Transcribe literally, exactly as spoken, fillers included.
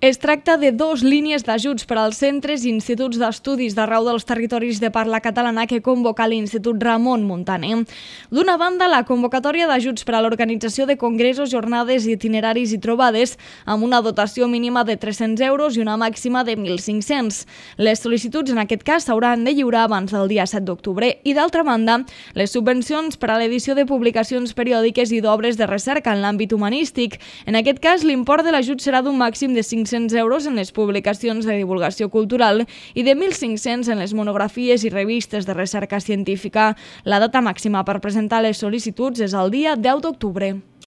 Es tracta de dues línies d'ajuts per als centres i instituts d'estudis d'arreu dels territoris de parla catalana que convoca l'Institut Ramon Muntaner. D'una banda, la convocatòria d'ajuts per a l'organització de congressos, jornades, itineraris i trobades amb una dotació mínima de tres-cents euros i una màxima de mil cinc-cents. Les sol·licituds en aquest cas s'hauran de lliurar abans del dia set d'octubre i, d'altra banda, les subvencions per a l'edició de publicacions periòdiques i d'obres de recerca en l'àmbit humanístic. En aquest cas, l'import de l'ajut serà d'un màxim de cinc-cents euros en les publicacions de divulgació cultural i de mil cinc-cents en les monografies i revistes de recerca científica. La data màxima per presentar les sol·licituds és el dia deu d'octubre.